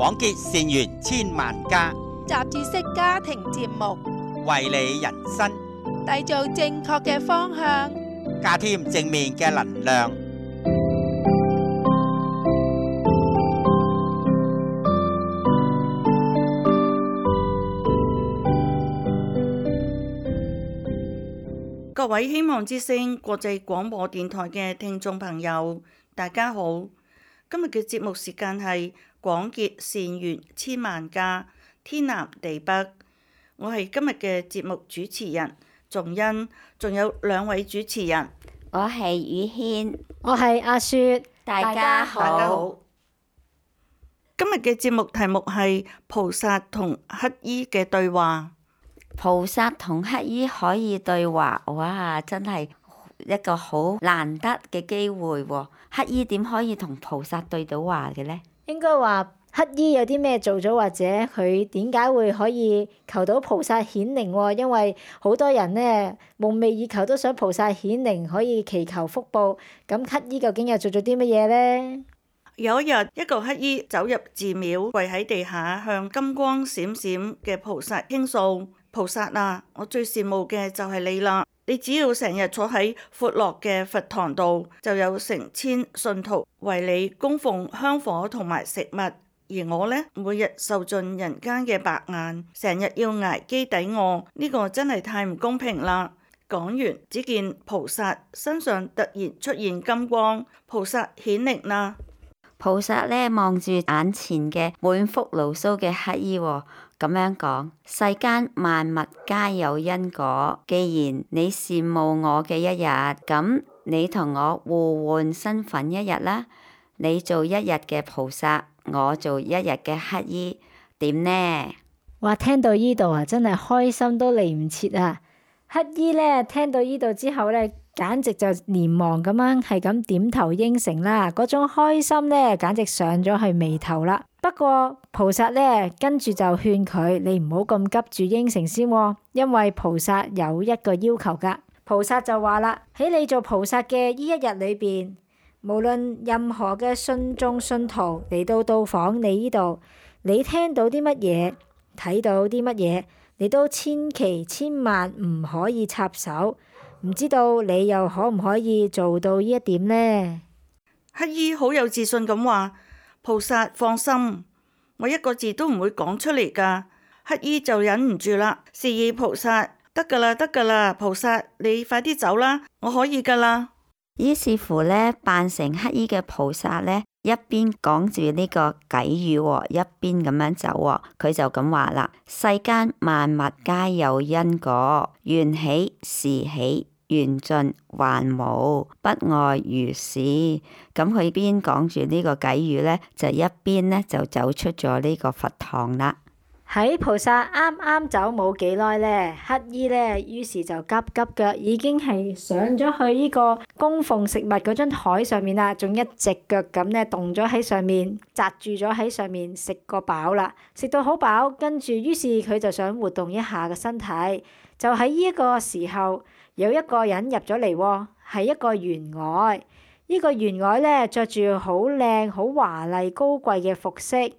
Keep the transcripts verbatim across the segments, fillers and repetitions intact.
廣結善緣千萬家，雜誌式家庭節目，為你人生締造正確嘅方向，加添正面嘅能量。各位希望之聲國際廣播電台嘅聽眾朋友，大家好。今日嘅節目時間係廣結善緣千萬家，天南地北。我係今日嘅節目主持人仲恩，仲有兩位主持人，我係宇軒，我係阿雪，大家好。大家好。今日嘅節目題目係菩薩同乞衣嘅對話。菩薩同乞衣可以對話，哇！真係一個好難得嘅機會喎。乞衣點可以同菩薩對到話嘅呢？應該話乞衣有啲咩做咗，或者佢點解會可以求到菩薩顯靈喎？因為好多人呢夢寐以求都想菩薩顯靈，可以祈求福報。咁乞衣究竟又做咗啲乜嘢呢？有一日，一個乞衣走入寺廟，跪喺地下向金光閃閃嘅菩薩傾訴：菩薩啊，我最羨慕嘅就係你啦！你只要成日坐喺闊落嘅佛堂度，就有成千信徒為你供奉香火同埋食物，而我呢，每日受盡人間嘅白眼，成日要捱飢抵餓，呢個真係太唔公平啦！講完，只見菩薩身上突然出現金光，菩薩顯靈啦！菩薩呢望住眼前嘅滿腹牢騷嘅乞衣喎，咁樣講：世間萬物皆有因果，既然你羨慕我嘅一日，咁你同我互換身份一日啦。你做一日嘅菩薩，我做一日嘅乞衣，點呢？哇！聽到依度啊，真係開心都嚟唔切啊！乞衣呢聽到依度之後呢，簡直就連忙咁樣係咁點頭應承啦，嗰種開心呢，簡直上咗去眉頭啦。不過菩薩呢跟住就勸佢：你唔好咁急住應承先喎，因為菩薩有一個要求噶。菩薩就話啦：喺你做菩薩嘅呢一日裏邊，無論任何嘅信眾信徒嚟到到訪你呢度，你聽到啲乜嘢，睇到啲乜嘢，你都千祈千萬唔可以插手。唔知道你又可唔可以做到呢一點呢？乞衣好有自信咁話：菩薩放心，我一個字都唔會講出嚟噶。乞衣就忍唔住啦，示意菩薩：得噶啦，得噶啦，菩薩你快啲走啦，我可以噶啦。於是乎呢，扮成乞衣嘅菩薩呢，一邊講住呢個偈語，一邊咁樣走。佢就咁話啦：世間萬物皆有因果，緣起時起，緣盡還無，不外如是。咁佢邊講住呢個偈語呢，就一邊呢就走出咗呢個佛堂啦。喺菩薩啱啱走冇幾耐呢，乞衣呢於是就急急腳已經係上咗去呢個供奉食物嗰張台上面啦，仲一隻腳咁呢動咗喺上面，紮住咗喺上面食個飽啦，食到好飽，跟住於是佢就想活動一下個身體。就喺呢一個時候，有一個人入咗嚟，係一個員外。呢個員外呢着住好靚、好華麗、高貴嘅服飾。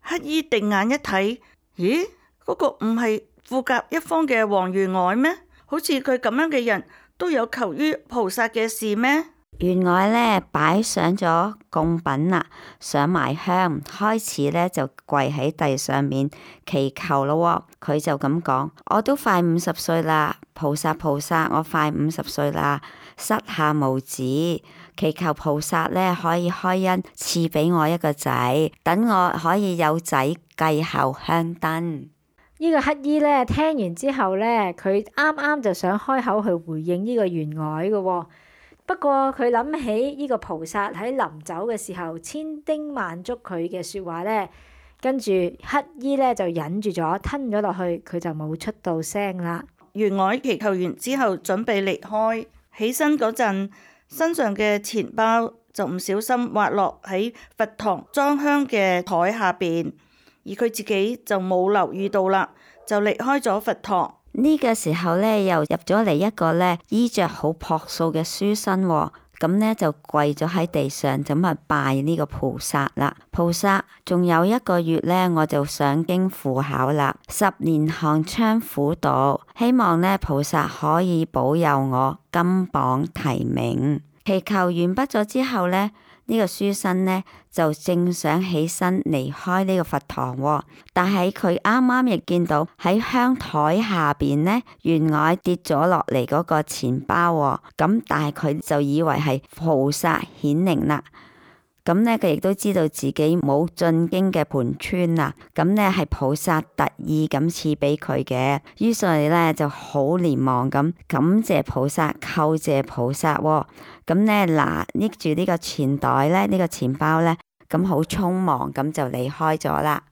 乞衣定眼一睇，咦？嗰個唔係富甲一方嘅王員外咩？好似佢咁樣嘅人都有求於菩薩嘅事咩？員外呢擺上咗供品啦，上埋香，開始呢就跪喺地上面祈求咯。佢就咁講：我都快五十歲啦，菩薩菩薩，我快五十歲啦，膝下無子，祈求菩薩呢可以開恩賜俾我一個仔，等我可以有仔繼後香燈。呢個乞衣呢聽完之後呢，佢啱啱就想開口去回應呢個員外嘅。不過佢諗起呢個菩薩喺臨走嘅時候千叮萬囑佢嘅說話呢，跟住乞衣呢就忍住咗，吞咗落去，佢就冇出到聲啦。員外祈求完之後準備離開，起身嗰陣，身上嘅錢包就唔小心滑落喺佛堂裝香嘅台下邊，而佢自己就冇留意到啦，就離開咗佛堂。呢個時候呢，又入咗嚟一個呢衣着好樸素嘅書生，咁呢就跪咗喺地上，咁啊拜呢個菩薩啦。菩薩，仲有一個月呢，我就上京赴考啦，十年寒窗苦讀，希望呢菩薩可以保佑我金榜題名。祈求完畢咗之後呢，呢、這個書生呢就正想起身離開呢個佛堂，哦，但係佢啱啱亦見到喺香台下邊呢，懸崖跌咗落嚟嗰個錢包，哦，咁但係佢就以為係菩薩顯靈啦。咁呢，佢亦都知道自己冇進京嘅盤川啦，咁呢係菩薩特意咁賜俾佢嘅，於是呢就好連忙咁感謝菩薩，叩謝菩薩，哦。咁呢，嗱，拎住呢個錢袋呢，呢、呢個錢包呢，咁好匆忙咁就離開咗啦。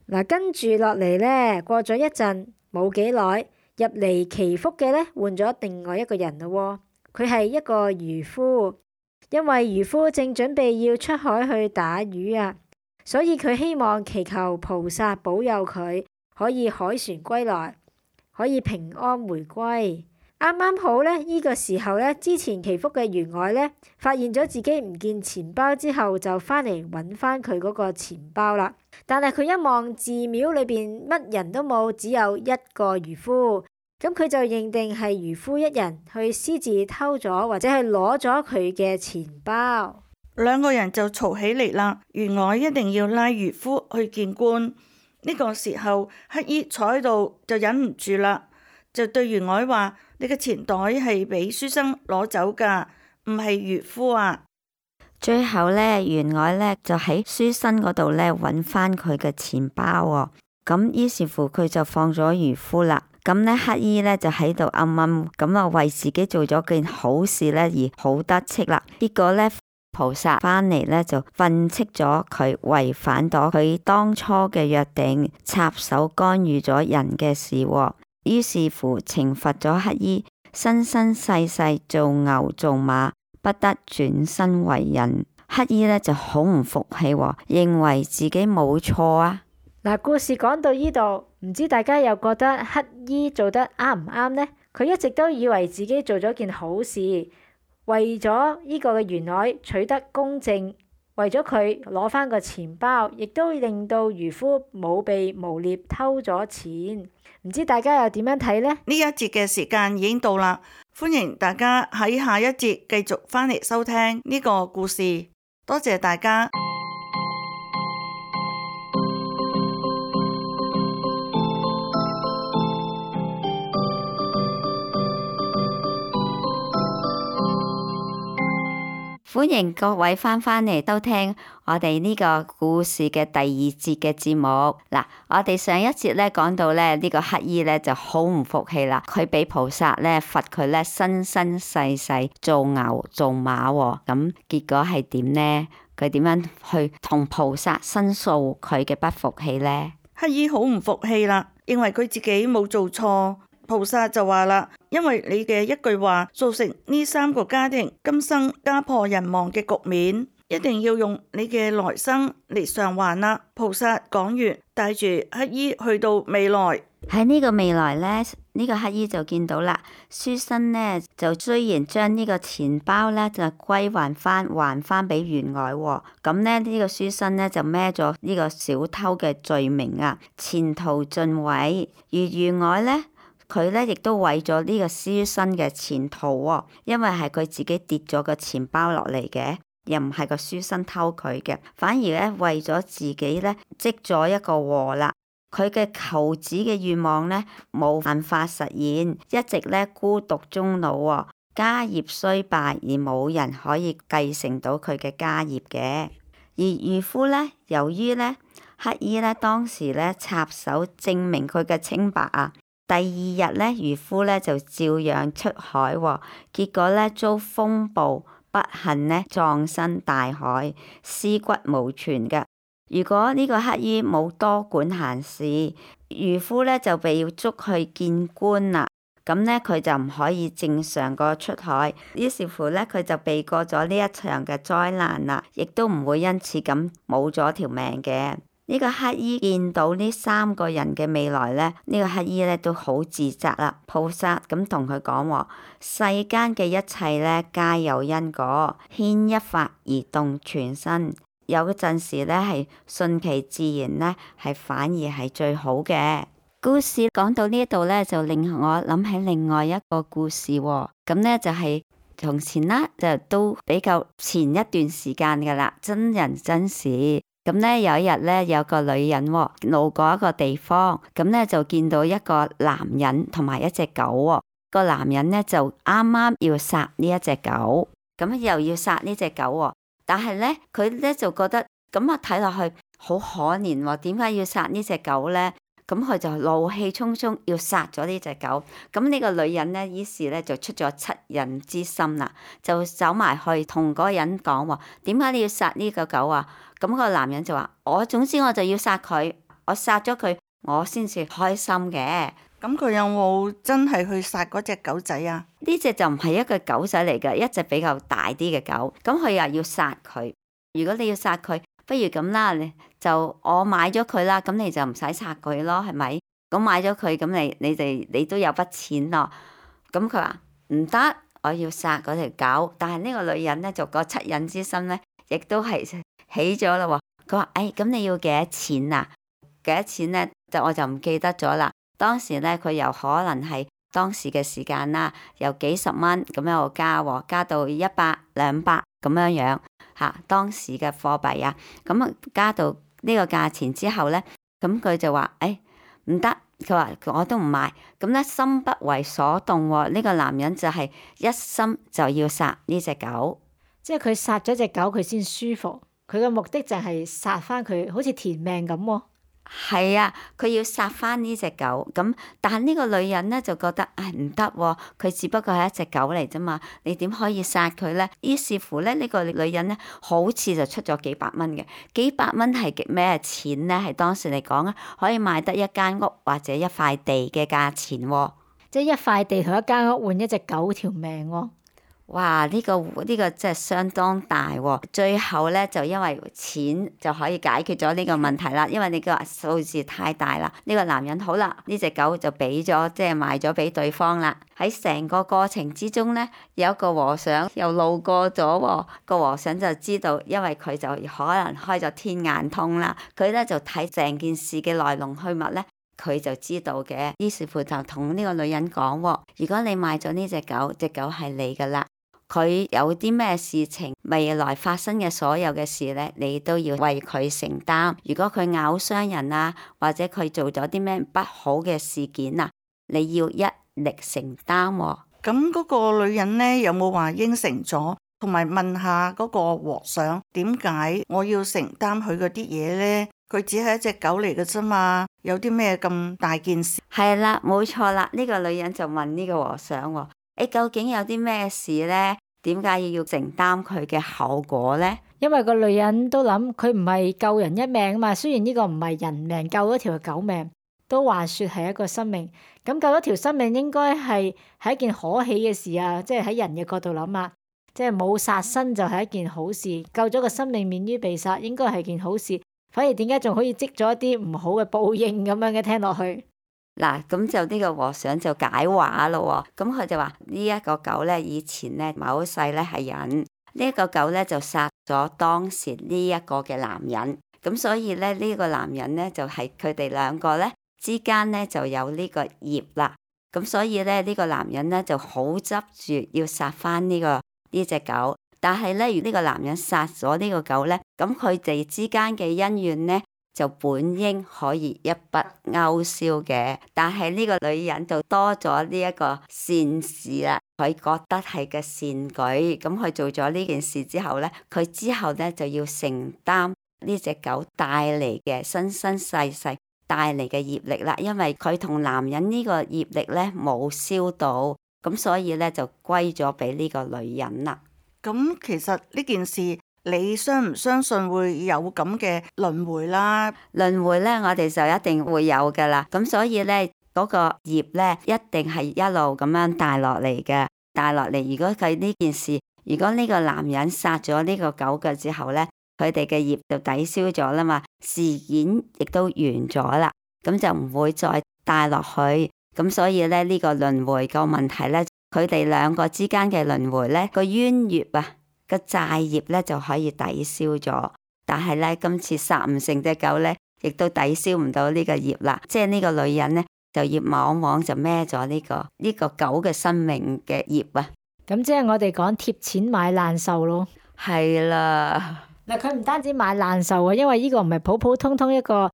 嗱，跟住落嚟呢，過咗一陣冇幾耐，入嚟祈福嘅呢，換咗另外一個人咯。佢係一個漁夫。因為漁夫正準備要出海去打魚啊，所以佢希望祈求菩薩保佑佢可以海船歸來，可以平安回歸。啱啱好呢，呢個時候呢，之前祈福嘅員外呢，發現咗自己唔見錢包之後，就返嚟揾返佢嗰個錢包啦。但係佢一望寺廟裏邊乜人都冇，只有一個漁夫。咁佢就認定係漁夫一人去私自偷咗或者係攞咗佢嘅錢包，兩個人就嘈起嚟啦。員外一定要拉漁夫去見官。呢個時候，乞衣坐喺度就忍唔住啦，就對員外話：你嘅錢袋係俾書生攞走噶，唔係漁夫啊。最後呢，員外呢就喺書生嗰度呢揾翻佢嘅錢包喎。咁於是乎佢就放咗漁夫啦。咁呢，乞衣呢就喺度暗暗咁啊，為自己做咗件好事呢而好得戚啦。結果呢，菩薩返嚟呢就訓斥咗佢違反咗佢當初嘅約定，插手干預咗人嘅事。於是乎懲罰咗乞衣，生生世世做牛做馬，不得轉身為人。乞衣呢就好唔服氣，認為自己冇錯啊。嗱，故事講到呢度，唔知大家又覺得乞衣做得啱唔啱呢？佢一直都以為自己做咗件好事，為咗呢個嘅員外取得公正，為咗佢攞返個錢包，亦都令到漁夫冇被誣衊偷咗錢。唔知大家又點樣睇呢？呢一節嘅時間已經到啦，歡迎大家喺下一節繼續返嚟收聽呢個故事。多謝大家。歡迎各位翻返嚟收聽我哋呢個故事嘅第二節嘅節目。嗱，我哋上一節咧講到咧呢個乞衣咧就好唔服氣啦，佢俾菩薩咧罰佢咧生生世世做牛做馬，咁結果係點呢？佢點樣去同菩薩申訴佢嘅不服氣呢？乞衣好唔服氣啦，認為佢自己冇做錯。菩薩就話啦，因為你嘅一句話造成呢三個家庭今生家破人亡嘅局面，一定要用你嘅來生嚟償還啦。菩薩講完，帶住乞衣去到未來。喺呢個未來呢，呢、這個乞衣就見到啦，書生呢就雖然將呢個錢包呢就歸還翻，還翻俾員外，咁呢，呢、這個書生呢就孭咗呢個小偷嘅罪名啊，前途盡毀。而員外呢，佢咧亦都毀咗呢個書生嘅前途喎，因為係佢自己跌咗個錢包落嚟嘅，又唔係個書生偷佢嘅，反而咧為咗自己咧積咗一個禍啦。佢嘅求子嘅願望咧冇辦法實現，一直咧孤獨終老喎，家業衰敗而冇人可以繼承到佢嘅家業嘅。而漁夫咧，由於咧乞衣咧當時咧插手證明佢嘅清白啊。第二日咧，漁夫咧就照樣出海，結果咧遭風暴，不幸咧葬身大海，屍骨無存嘅。如果呢個乞衣冇多管閒事，漁夫咧就被要捉去見官啦。咁咧佢就唔可以正常個出海，於是乎咧佢就避過咗呢一場嘅災難啦，亦都唔會因此咁冇咗條命嘅。呢個乞衣見到呢三個人嘅未來咧，呢、這個乞衣咧都好自責啦。菩薩咁同佢講：世間嘅一切咧，皆有因果，牽一發而動全身。有陣時咧係順其自然咧，係反而係最好嘅。故事講到呢度咧，就令我諗起另外一個故事喎。咁咧就係、是、從前啦，就都比較前一段時間噶啦，真人真事。咁咧有一日咧，有個女人路過一個地方，咁咧就見到一個男人同埋一隻狗。個男人咧就啱啱要殺呢一隻狗，咁又要殺呢隻狗，但係咧佢咧就覺得咁啊，睇落去好可憐，點解要殺呢隻狗咧？咁佢就怒氣沖沖要殺咗呢隻狗。咁呢個女人咧，於是咧就出咗惻隱之心啦，就走埋去同嗰個人講：點解你要殺呢個狗啊？咁個男人就話：我總之我就要殺佢，我殺咗佢，我先至開心嘅。咁佢有冇真係去殺嗰隻狗仔啊？呢隻就唔係一個狗仔嚟嘅，一隻比較大啲嘅狗。咁佢又要殺佢。如果你要殺佢，不如咁啦，你就我買咗佢啦，咁你就唔使殺佢咯，係咪？咁買咗佢，咁你你哋你都有筆錢咯。咁佢話唔得，我要殺嗰條狗。但係呢個女人咧，就個惻隱之心咧，亦都係起咗啦。佢話：誒，咁你要幾多錢啊？幾多錢咧？就我就唔記得咗啦。當時咧，佢又可能係當時嘅時間啦，由幾十蚊咁樣加，加到一百、兩百咁樣樣嚇。當時嘅貨幣啊，咁啊加到呢個價錢之後咧，咁佢就話：誒唔得，佢話我都唔賣。咁咧心不為所動喎，呢個男人就係一心就要殺呢隻狗，即係佢殺咗隻狗，佢先舒服。佢嘅目的就係殺翻佢，好似填命咁喎。係啊，佢要殺翻呢隻狗，咁但係呢個女人咧就覺得唉唔得，佢只不過係一隻狗嚟啫嘛，你點可以殺佢咧？於是乎咧，呢個女人咧好似就出咗幾百蚊嘅，幾百蚊係咩錢咧？係當時嚟講啊，可以買得一間屋或者一塊地嘅價錢喎，即係一塊地同一間屋換一隻狗條命喎。哇！呢個呢個真係相當大喎。最後咧就因為錢就可以解決咗呢個問題啦，因為你個數字太大啦。呢個男人好啦，呢隻狗就俾咗，即係賣咗俾對方啦。喺成個過程之中咧，有一個和尚又路過咗喎。個和尚就知道，因為佢就可能開咗天眼通啦，佢咧就睇成件事嘅來龍去脈咧，佢就知道嘅。於是乎就同呢個女人講：如果你買咗呢隻狗，隻狗係你噶啦。佢有啲咩事情，未來發生嘅所有嘅事咧，你都要為佢承擔。如果佢咬傷人啊，或者佢做咗啲咩不好嘅事件啊，你要一力承擔喎。咁嗰個女人咧有冇話應承咗，同埋問下嗰個和尚點解我要承擔佢嗰啲嘢咧？佢只係一隻狗嚟嘅啫嘛，有啲咩咁大件事？係啦，冇錯啦。呢個女人就問呢個和尚喎：誒，究竟有啲咩事咧？點解要承擔佢嘅後果咧？因為個女人都諗佢唔係救人一命啊嘛。雖然呢個唔係人命，救咗條狗命，都話說係一個生命。咁救咗條生命應該係係一件可喜嘅事啊！即係喺人嘅角度諗啊，即係冇殺生就係一件好事，救咗個生命免於被殺，應該係件好事。反而點解仲可以積咗一啲唔好嘅報應咁樣嘅？聽落去。嗱，咁就呢個和尚就解話咯喎，咁佢就話呢一個狗咧，以前咧某世咧係人，呢、這、一個狗咧就殺咗當時呢一個嘅男人，咁所以咧呢、這個男人咧就係佢哋兩個咧之間咧就有呢個業啦，咁所以咧呢、這個男人咧就好執住要殺翻呢個呢隻狗，但係咧如呢個男人殺咗呢個狗咧，咁佢哋之間嘅恩怨咧就本應可以一筆勾銷嘅，但係呢個女人就多咗呢一個善事啦，佢覺得係個善舉，咁佢做咗呢件事之後咧，佢之後咧就要承擔呢隻狗帶嚟嘅生生世世帶嚟嘅業力啦，因為佢同男人呢個業力咧冇消到，咁所以咧就歸咗俾呢個女人啦。咁其實呢件事，你相唔相信會有咁嘅輪迴啦？輪迴咧，我哋就一定會有噶啦。咁所以咧，嗰個業咧，一定係一路咁樣帶落嚟嘅，帶落嚟。如果佢呢件事，如果呢個男人殺咗呢個狗嘅之後咧，佢哋嘅業就抵消咗啦嘛。事件亦都完咗啦，咁就唔會再帶落去。咁所以咧呢個輪迴個問題咧，佢哋兩個之間嘅輪迴咧個冤業啊個債業咧就可以抵消咗，但係咧今次殺唔成隻狗咧，亦都抵消唔到呢個業啦。即係呢個女人咧就業往往就孭咗呢個呢個狗嘅生命嘅業啊。咁即係我哋講貼錢買難受咯。係啦，嗱，佢唔單止買難受啊，因為呢個唔係普普通通一個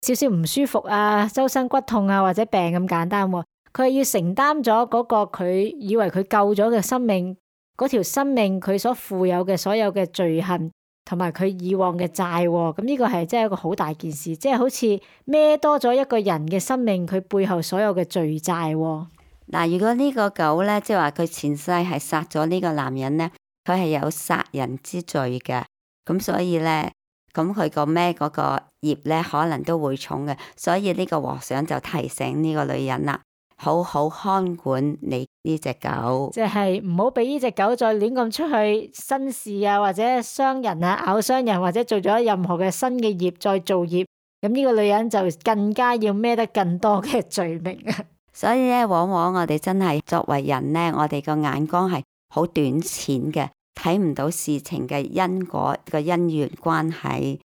少少唔舒服啊、周身骨痛啊或者病咁簡單喎，佢係要承擔咗嗰個佢以為佢救咗嘅生命，嗰條生命佢所負有嘅所有嘅罪行同埋佢以往嘅債喎，咁呢個係真係一個好大件事，即係好似孭多咗一個人嘅生命，佢背後所有嘅罪債喎。嗱，如果呢個狗咧，即係話佢前世係殺咗呢個男人咧，佢係有殺人之罪嘅，咁所以咧，咁佢個孭嗰個業咧，可能都會重嘅，所以呢個和尚就提醒呢個女人啦，好好看管你呢隻狗，即係唔好俾呢隻狗再亂咁出去生事啊，或者傷人啊、咬傷人，或者做咗任何嘅新嘅業再造業，咁呢個女人就更加要孭得更多嘅罪名啊！所以咧，往往我哋真係作為人咧，我哋個眼光係好短淺嘅，睇唔到事情嘅因果個因緣關係。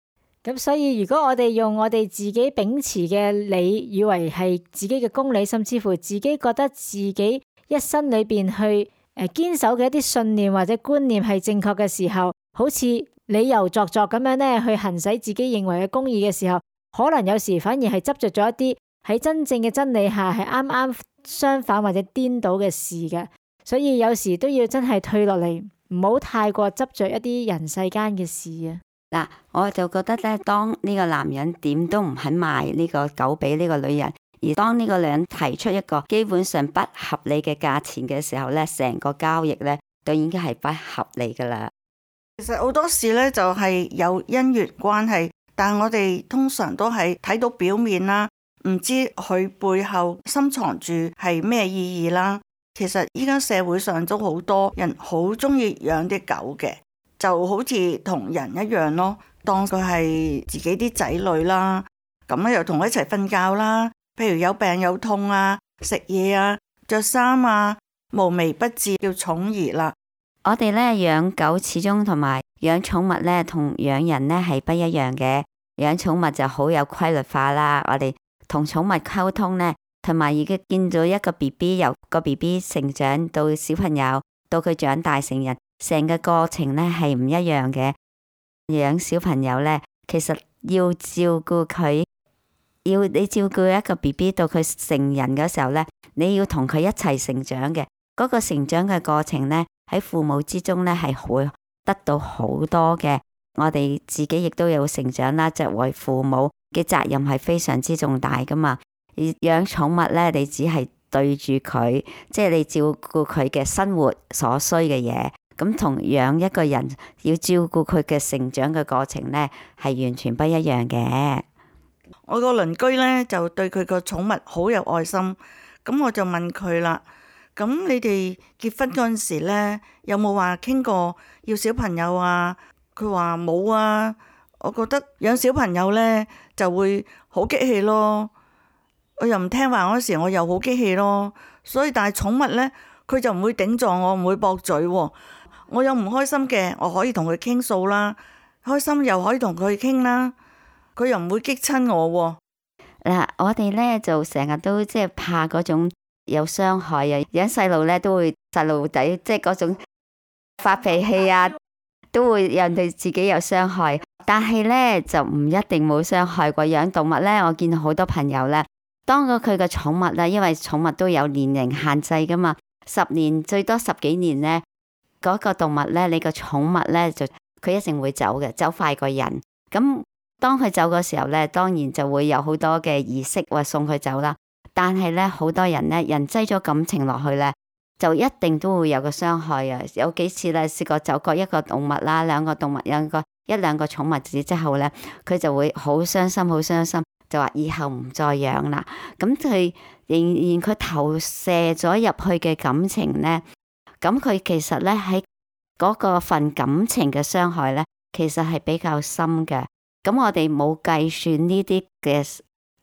咁所以如果我哋用我哋自己秉持嘅理，以為係自己嘅公理，甚至乎自己覺得自己一生裏邊去誒堅守嘅一啲信念或者觀念係正確嘅時候，好似理由作作咁樣咧去行使自己認為嘅公義嘅時候，可能有時反而係執着咗一啲喺真正嘅真理下係啱啱相反或者顛倒嘅事嘅，所以有時都要真係退落嚟，唔好太過執着一啲人世間嘅事啊。嗱，我就覺得咧，當呢個男人點都唔肯賣呢個狗俾呢個女人，而當呢個女人提出一個基本上不合理嘅價錢嘅時候咧，成個交易咧都已經係不合理噶啦。其實好多事咧就係有因緣關係，但係我哋通常都係睇到表面啦，唔知佢背後深藏住係咩意義啦。其實依家社會上都好多人好中意養啲狗嘅，就好似同人一樣咯，當佢係自己啲仔女啦，咁咧又同佢一齊瞓覺啦。譬如有病有痛啊，食嘢啊，着衫啊，無微不至叫寵兒啦。我哋咧養狗始終同埋養寵物咧同養人咧係不一樣嘅。養寵物就好有規律化啦，我哋同寵物溝通咧，同埋而家見到一個 B B 由個 B B 成長到小朋友，到佢長大成人，成個過程咧係唔一樣嘅。養小朋友咧，其實要照顧佢，要你照顧一個 B B 到佢成人嘅時候咧，你要同佢一齊成長嘅。嗰個成長嘅過程咧，喺父母之中咧係會得到好多嘅。我哋自己亦都有成長啦，作為父母嘅責任係非常之重大噶嘛。而養寵物咧，你只係對住佢，即係你照顧佢嘅生活所需嘅嘢。咁同養一個人要照顧佢嘅成長嘅過程咧，係完全不一樣嘅。我個鄰居咧就對佢個寵物好有愛心，咁我就問佢啦，咁你哋結婚嗰陣時咧，有冇話傾過要小朋友啊？佢話冇啊。我覺得養小朋友咧就會好激氣咯，我又唔聽話嗰時我又好激氣咯，所以但係寵物咧佢就唔會頂撞我，唔會駁嘴喎。我有唔開心嘅，我可以同佢傾訴啦，開心又可以同佢傾啦，佢又唔會激親我喎。嗱，我哋咧就成日都即係怕嗰種有傷害啊，養細路咧都會細路仔即係嗰種發脾氣啊，都會讓對自己有傷害。但係咧就唔一定冇傷害過。養動物咧，我見到好多朋友咧，當咗佢嘅寵物啦，因為寵物都有年齡限制噶嘛，十年最多十幾年咧，嗰個動物咧，你個寵物咧就佢一定會走嘅，走快過人。咁當佢走嘅時候咧，當然就會有好多嘅儀式話送佢走啦。但係咧，好多人咧，人擠咗感情落去咧，就一定都會有個傷害啊！有幾次咧，試過走過一個動物啦，兩個動物，兩個一兩個寵物子之後咧，佢就會好傷心，好傷心，就話以後唔再養啦。咁佢仍然佢投射咗入去嘅感情咧，咁佢其實咧喺嗰個份感情嘅傷害咧，其實係比較深嘅。咁我哋冇計算呢啲嘅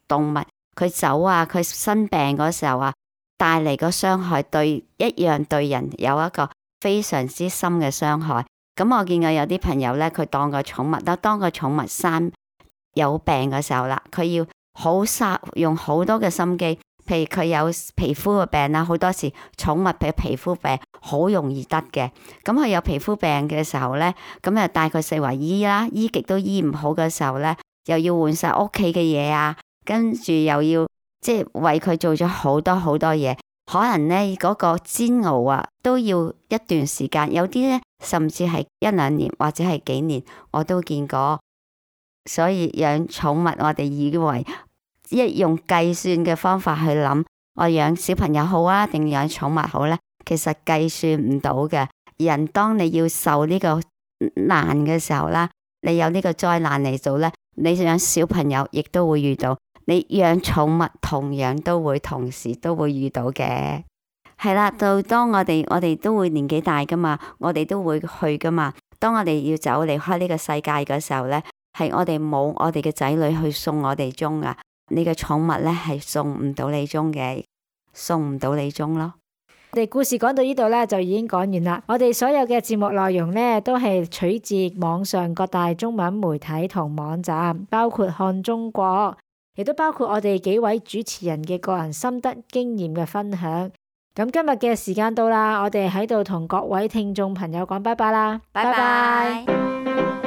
動物，佢走啊，佢生病嗰時候啊，帶嚟個傷害對一樣對人有一個非常之深嘅傷害。咁我見過有啲朋友咧，佢當個寵物，但當個寵物生有病嘅時候啦，佢要好嘥用好多嘅心機。譬如佢有皮膚嘅病啦，好多時寵物嘅皮膚病好容易得嘅。咁佢有皮膚病嘅時候咧，咁啊帶佢四圍醫啦，醫極都醫唔好嘅時候咧，又要換晒屋企嘅嘢啊，跟住又要即係為佢做咗好多好多嘢。可能咧嗰個煎熬啊，都要一段時間，有啲咧甚至係一兩年或者係幾年，我都見過。所以養寵物，我哋以為一用計算嘅方法去諗，我養小朋友好啊，定養寵物好呢？其實計算唔到嘅。人當你要受呢個難嘅時候啦，你有呢個災難嚟做呢，你養小朋友亦都會遇到，你養寵物同樣都會同時都會遇到嘅。係啦，到當我哋我哋都會年紀大噶嘛，我哋都會去噶嘛。當我哋要走離開呢個世界嘅時候呢，係我哋冇我哋嘅仔女去送我哋終啊。你嘅寵物呢係送唔到你終嘅，送唔到你終咯。我哋故事講到呢度呢，就已經講完啦。我哋所有嘅節目內容呢，都係取自網上各大中文媒體同網站，包括看中國，亦都包括我哋幾位主持人嘅個人心得經驗嘅分享。咁今日嘅時間到啦，我哋喺度同各位聽眾朋友講拜拜啦，拜拜。